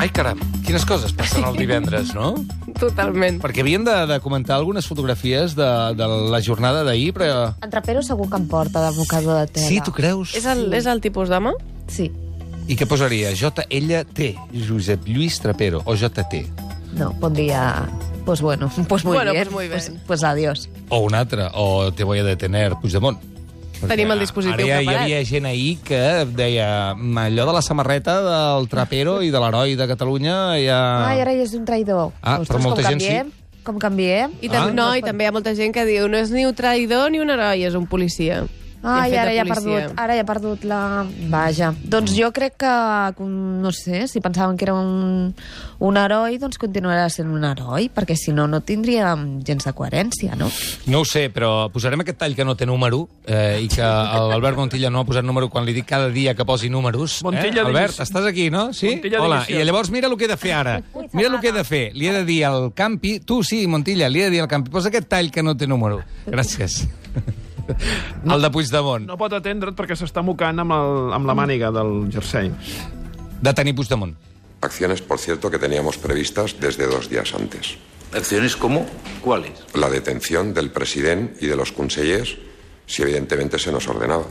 Ai, caram, quines coses passen el divendres, no? Totalment. Perquè havien de comentar algunes fotografies de la jornada d'ahir, però... En Trapero segur que em porta de mocador de tela. Sí, tu creus? És el tipus d'home? Sí. I què posaria? JLT, Josep Lluís Trapero, o JT? No, pondria... Pues bueno, pues muy Bueno, bien. pues muy bien. Pues adiós. O un altre, o te voy a detener, Puigdemont. Tenim el dispositiu Ara hi preparat. havia gent ahir que deia allò de la samarreta del Trapero i de l'heroi de Catalunya ja... Ai, ara ja és un traïdor. Ah, però molta gent sí. Com canviem? I també hi ha molta gent que diu no és ni un traïdor ni un heroi, és un policia. Ai, ara ja he perdut la... Vaja. Doncs jo crec que, no sé, si pensaven que era un heroi, doncs continuarà sent un heroi, perquè si no, no tindríem gens de coherència, no? No ho sé, però posarem aquest tall que no té número i que l'Albert Montilla no ha posat número quan li dic cada dia que posi números. Montilla Albert, estàs aquí, no? Sí? Montilla Hola, divisió. i llavors mira el que he de fer ara. Mira el que he de fer. Li he de dir al Campi... Tu sí, Montilla, li he de dir al Campi. Posa aquest tall que no té número. Gràcies. El de Puigdemont. No pot atendre't perquè s'està mocant amb la màniga del jersei. Detenir Puigdemont. Acciones, por cierto, que teníamos previstas desde 2 días antes. ¿Acciones cómo? ¿Cuáles? La detención del presidente y de los consellers, si evidentemente se nos ordenaba.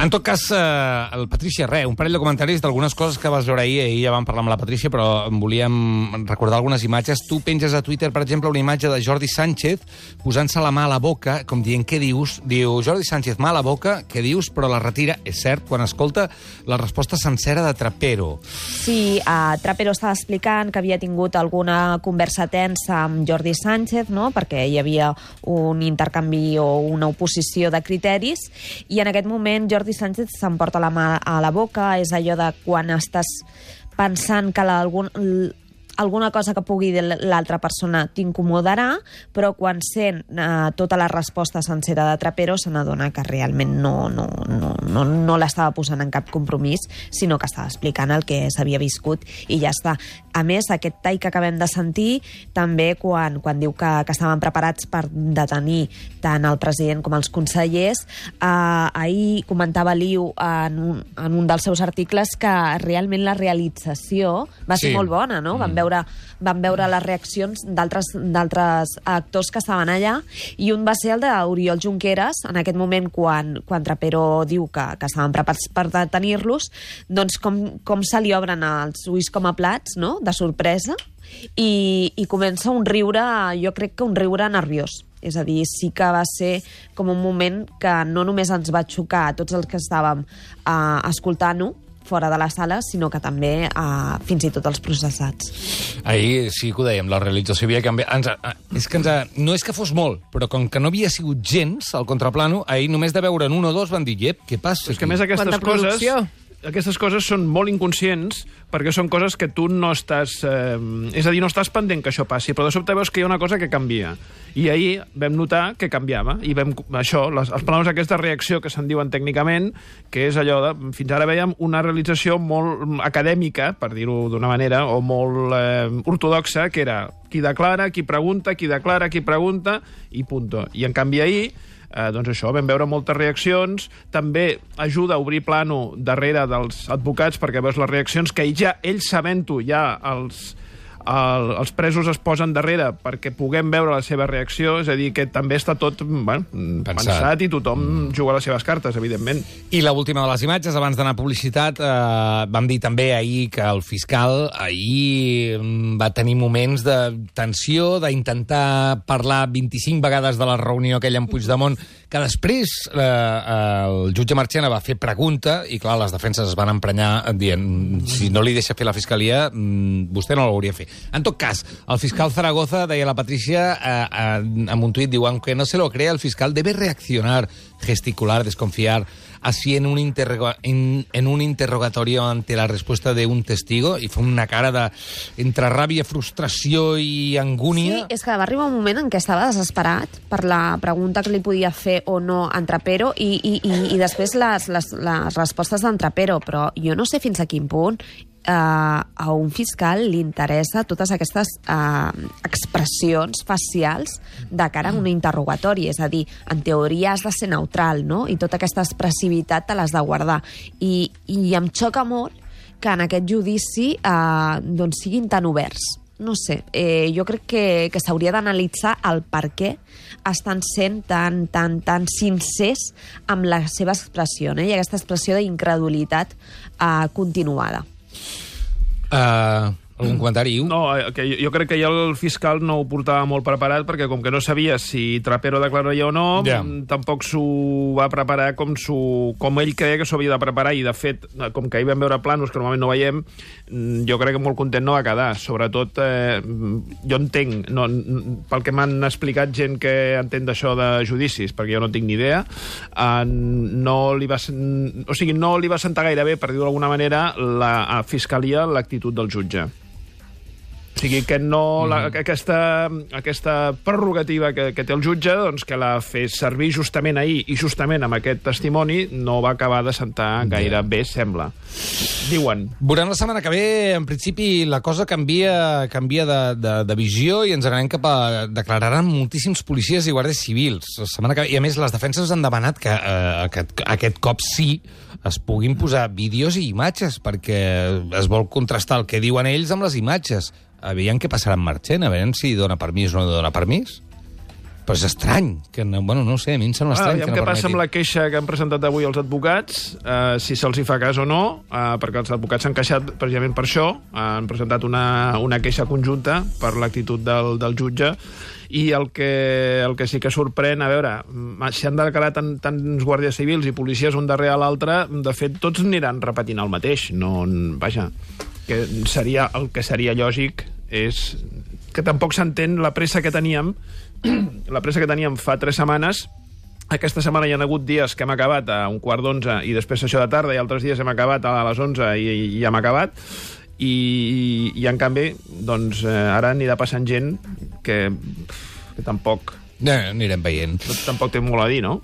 En tot cas, el Patrícia, un parell de comentaris d'algunes coses que vas veure ahir. Ahir ja vam parlar amb la Patrícia, però volíem recordar algunes imatges. Tu penges a Twitter, per exemple, una imatge de Jordi Sánchez posant-se la mà a la boca, com dient, què dius? Diu, Jordi Sánchez, mà a la boca, què dius? Però la retira, és cert, quan escolta la resposta sencera de Trapero. Sí, Trapero estava explicant que havia tingut alguna conversa tensa amb Jordi Sánchez, no?, perquè hi havia un intercanvi o una oposició de criteris, i en aquest moment Jordi Sánchez s'emporta la mà a la boca. És allò de quan estàs pensant que alguna cosa que pugui dir l'altra persona t'incomodarà, però quan sent tota la resposta sencera de Trapero se n'adona que realment no l'estava posant en cap compromís, sinó que estava explicant el que s'havia viscut i ja està. A més, aquest tall que acabem de sentir, també quan diu que estaven preparats per detenir tant el president com els consellers, ahir comentava Liu en un dels seus articles que realment la realització va ser molt bona, no? Vam veure les reaccions d'altres actors que estaven allà, i un va ser el d'Oriol Junqueras, en aquest moment quan Trapero diu que estaven preparats per detenir-los, doncs com se li obren els ulls com a plats, no?, de sorpresa, i comença un riure, jo crec que un riure nerviós. És a dir, sí que va ser com un moment que no només ens va xocar a tots els que estàvem escoltant-ho fora de la sala, sinó que també fins i tot els processats. Ahir sí que ho dèiem, la realització havia canviat. No és que fos molt, però com que no havia sigut gens al contraplano, ahir només de veure'n un o dos van dir, què passa? És que a més aquestes coses són molt inconscients perquè són coses que tu no estàs... és a dir, no estàs pendent que això passi, però de sobte veus que hi ha una cosa que canvia. I ahir vam notar que canviava. I vam, els plans aquesta reacció que se'n diuen tècnicament, que és allò de... Fins ara vèiem una realització molt acadèmica, per dir-ho d'una manera, o molt ortodoxa, que era qui declara, qui pregunta, qui declara, qui pregunta, i punto. I en canvi ahir... doncs això, vam veure moltes reaccions, també ajuda a obrir plano darrere dels advocats perquè veus les reaccions que ja ells sabent-ho, ja els presos es posen darrere perquè puguem veure la seva reacció, és a dir, que també està tot pensat i tothom juga les seves cartes, evidentment. I l'última de les imatges, abans d'anar a publicitat, vam dir també ahir que el fiscal ahir va tenir moments de tensió, d'intentar parlar 25 vegades de la reunió aquella amb Puigdemont, que després el jutge Marchena va fer pregunta i, clar, les defenses es van emprenyar dient, si no li deixa fer la fiscalia, vostè no l'hauria fet. En tot cas, el fiscal Zaragoza, deia la Patrícia, en un tuit, diu, aunque no se lo crea, el fiscal debe reaccionar, gesticular, desconfiar, así en un interrogatorio ante la respuesta de un testigo, i fa una cara entre ràbia, frustració i angúnia. Sí, és que va arribar un moment en què estava desesperat per la pregunta que li podia fer o no en Trapero i després les respostes d'en Trapero, però jo no sé fins a quin punt a un fiscal li interessa totes aquestes expressions facials de cara a un interrogatori. És a dir, en teoria has de ser neutral, no? I tota aquesta expressivitat te l'has de guardar. I em xoca molt que en aquest judici doncs siguin tan oberts. No sé, jo crec que s'hauria d'analitzar el per què estan sent tan sincers amb la seva expressió, no? I aquesta expressió d'incredulitat continuada. Algun comentari, Iu? No, que jo crec que ja el fiscal no ho portava molt preparat, perquè com que no sabia si Trapero declararia o no, tampoc s'ho va preparar com ell creia que s'ho havia de preparar, i de fet, com que ahir vam veure planos que normalment no veiem, jo crec que molt content no va quedar. Sobretot, jo entenc, pel que m'han explicat gent que entén d'això de judicis, perquè jo no tinc ni idea, no li va sentar gaire bé, per dir-ho d'alguna manera, a Fiscalia l'actitud del jutge. O sigui, que no, aquesta prerrogativa que té el jutge, doncs, que la fes servir justament ahir i justament amb aquest testimoni, no va acabar de sentar gaire bé, sembla. Diuen. Veurem la setmana que ve, en principi, la cosa canvia de visió i ens anem cap a... Declararan moltíssims policies i guàrdies civils. La setmana que ve, i a més, les defenses han demanat que aquest cop sí es puguin posar vídeos i imatges, perquè es vol contrastar el que diuen ells amb les imatges. Aviam què passarà amb Marchena, a veure si dona permís o no dona permís. Però és estrany, que no, bueno, no ho sé, a mi em sembla estrany que no permeti. Què passa amb la queixa que han presentat avui els advocats, si se'ls hi fa cas o no, perquè els advocats s'han queixat precisament per això, han presentat una queixa conjunta per l'actitud del jutge, i el que sí que sorprèn, a veure, si han declarat tants guàrdies civils i policies un darrere l'altre, de fet, tots aniran repetint el mateix. No, vaja, que el que seria lògic és que tampoc s'entén la pressa que teníem fa 3 setmanes. Aquesta setmana hi ha hagut dies que hem acabat a 11:15 i després això de tarda, i altres dies hem acabat a les 11 i hem acabat, i en canvi doncs, ara anirà passant gent que tampoc... Anirem veient. Tampoc té molt a dir, no?